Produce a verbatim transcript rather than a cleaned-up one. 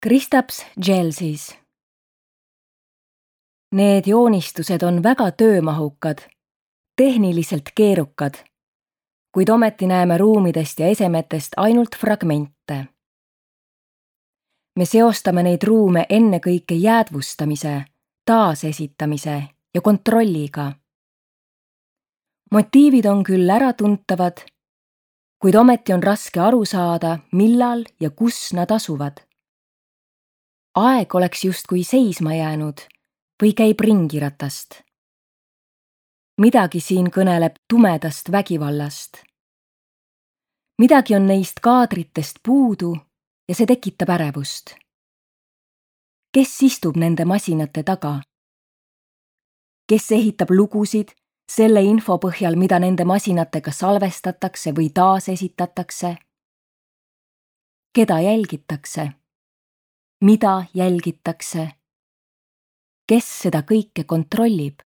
Kristaps Gelsis. Need joonistused on väga töömahukad, tehniliselt keerukad, kuid ometi näeme ruumidest ja esemetest ainult fragmente. Me seostame neid ruume ennekõike jäädvustamise, taasesitamise ja kontrolliga. Motiivid on küll äratuntavad, kuid ometi on raske aru saada, millal ja kus nad asuvad. Aeg oleks justkui seisma jäänud või käib ringiratast. Midagi siin kõneleb tumedast vägivallast. Midagi on neist kaadritest puudu ja see tekitab ärevust. Kes istub nende masinate taga? Kes ehitab lugusid selle info põhjal, mida nende masinatega salvestatakse või taasesitatakse? Keda jälgitakse? Mida jälgitakse? Kes seda kõike kontrollib?